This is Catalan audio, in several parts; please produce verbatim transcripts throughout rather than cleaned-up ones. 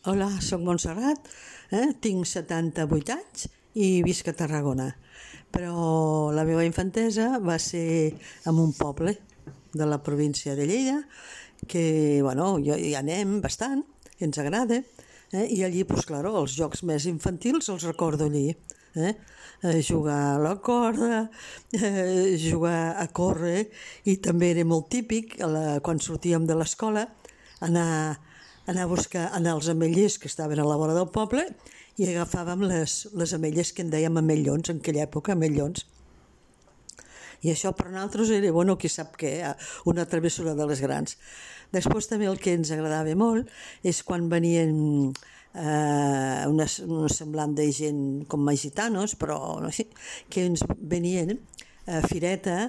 Hola, soc Montserrat, eh? tinc setanta-vuit anys i visc a Tarragona. Però la meva infantesa va ser en un poble de la província de Lleida, que bueno, hi anem bastant, i ens agrada, eh? I allí, doncs, clar, els jocs més infantils els recordo allí. Eh? Eh, jugar a la corda, eh, jugar a córrer, i també era molt típic la, quan sortíem de l'escola anar, anar a buscar anar als ametllers que estaven a la vora del poble i agafàvem les, les ametlles que en dèiem amellons, en aquella època, amellons. I això per nosaltres era, bueno, qui sap què, una travessura de les grans. Després també el que ens agradava molt és quan venien eh, una, un semblant de gent com a gitanos, però no sé, que ens venien a fireta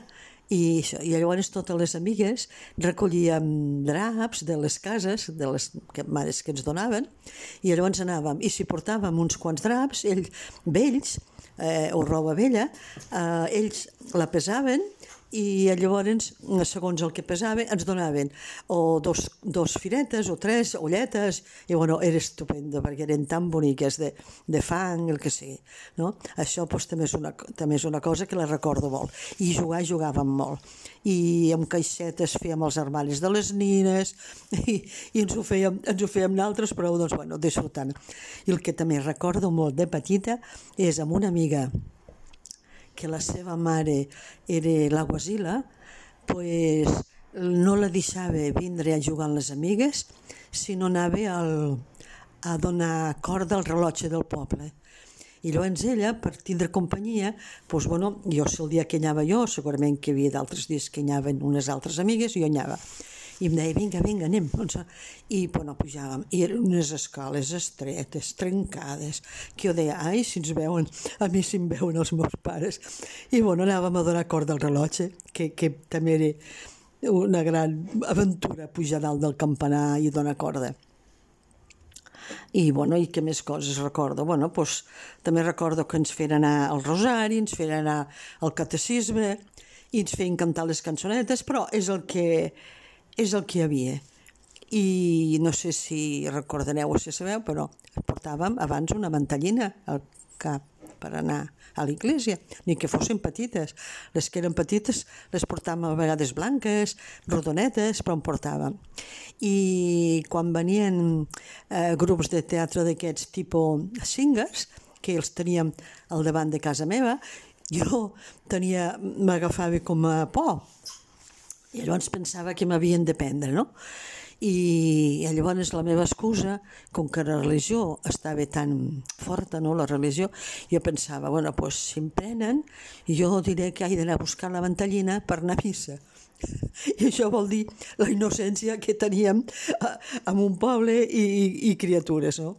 i, això, i llavors totes les amigues recollíem draps de les cases, de les que, mares que ens donaven, i llavors anàvem, i si portàvem uns quants draps, ells, vells, eh, o roba vella, eh, ells la pesaven i llavors, segons el que pesava, ens donaven o dos, dos firetes o tres olletes, i bueno, era estupendo perquè eren tan boniques, de, de fang, el que sigui, no? Això doncs, també, és una, també és una cosa que la recordo molt. I jugar, jugàvem molt. I amb caixetes fèiem els armaris de les nines i, i ens ho fèiem, ens ho fèiem nosaltres, però doncs, bueno, disfrutant. I el que també recordo molt de petita és amb una amiga que la seva mare era la Guasila, pues no la deixava vindre a jugar amb les amigues si no anava al, a donar corda al rellotge del poble. I llavors ella, per tindre companyia, doncs, bueno, jo si el dia que anava jo, segurament que hi havia d'altres dies que anaven unes altres amigues, i jo anava. I em deia, vinga, vinga, anem. I bueno, pujàvem. I eren unes escales estretes, trencades, que jo deia, ai, si ens veuen, a mi si em veuen els meus pares. I bueno, anàvem a donar corda al rellotge, que, que també era una gran aventura, pujar dalt del campanar i donar corda. I bueno, i què més coses recordo? Bueno, doncs també recordo que ens feien anar al rosari, ens feien anar al catecisme, i ens feien cantar les cançonetes, però és el que és el que hi havia. I no sé si recordareu o si sabeu, però portàvem abans una mantellina al cap per anar a l'església, ni que fossin petites. Les que eren petites les portàvem a vegades blanques, rodonetes, però en portàvem. I quan venien eh, grups de teatre d'aquests tipus singers, que els teníem al davant de casa meva, jo tenia, m'agafava com a por, i llavors pensava que m'havien de prendre, no? I llavors la meva excusa, com que la religió estava tan forta, no, la religió, jo pensava, bueno, doncs si em prenen, jo diré que he d'anar a buscar la mantellina per anar a missa. I això vol dir la innocència que teníem en un poble i, i, i criatures, no?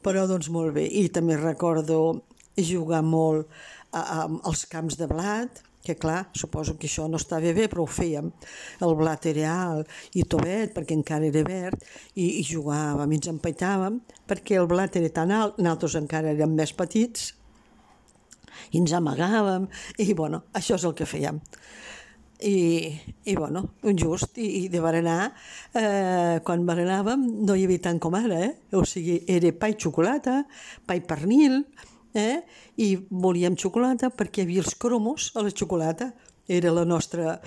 Però doncs molt bé. I també recordo jugar molt a, a, als camps de blat, que clar, suposo que això no estava bé, però ho fèiem. El blat era alt i tovet, perquè encara era verd, i, i jugàvem, i ens empaitàvem, perquè el blat era tan alt, nosaltres encara érem més petits, i ens amagàvem, i bueno, això és el que fèiem. I, i bueno, just, i, i de berenar, eh, quan berenàvem no hi havia tant com ara, eh? O sigui, era pa i xocolata, pa i pernil, Eh? i volíem xocolata perquè hi havia els cromos a la xocolata, era la nostra,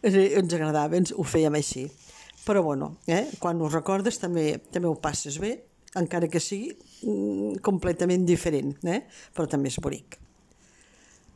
ens agradava, ens ho fèiem així. Però bueno, eh? quan ho recordes també, també ho passes bé, encara que sigui mm, completament diferent, eh? però també és bonic.